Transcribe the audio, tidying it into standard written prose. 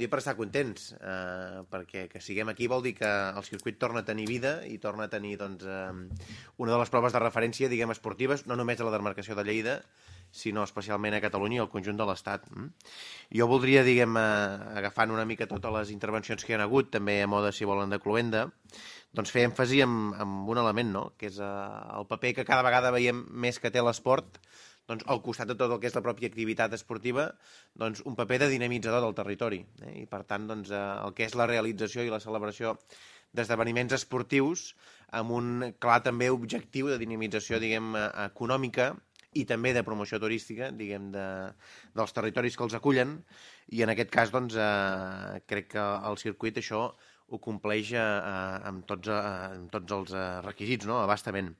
dia per estar contents, perquè que siguem aquí vol dir que el circuit torna a tenir vida i torna a tenir doncs, una de les proves de referència, diguem, esportives, no només a la demarcació de Lleida, sinó especialment a Catalunya i al conjunt de l'Estat. Jo voldria, diguem, agafant una mica totes les intervencions que hi ha hagut, també a mode, si volen, de cloenda, doncs fer èmfasi en un element, no?, que és el paper que cada vegada veiem més que té l'esport, doncs, al costat de tot el que és la pròpia activitat esportiva, doncs, un paper de dinamitzador del territori. I, per tant, doncs, el que és la realització i la celebració d'esdeveniments esportius amb un clar també objectiu de dinamització, diguem, econòmica i també de promoció turística, diguem, dels territoris que els acullen, i en aquest cas, doncs, crec que el circuit això ho compleix amb tots els requisits, no?, a bastament.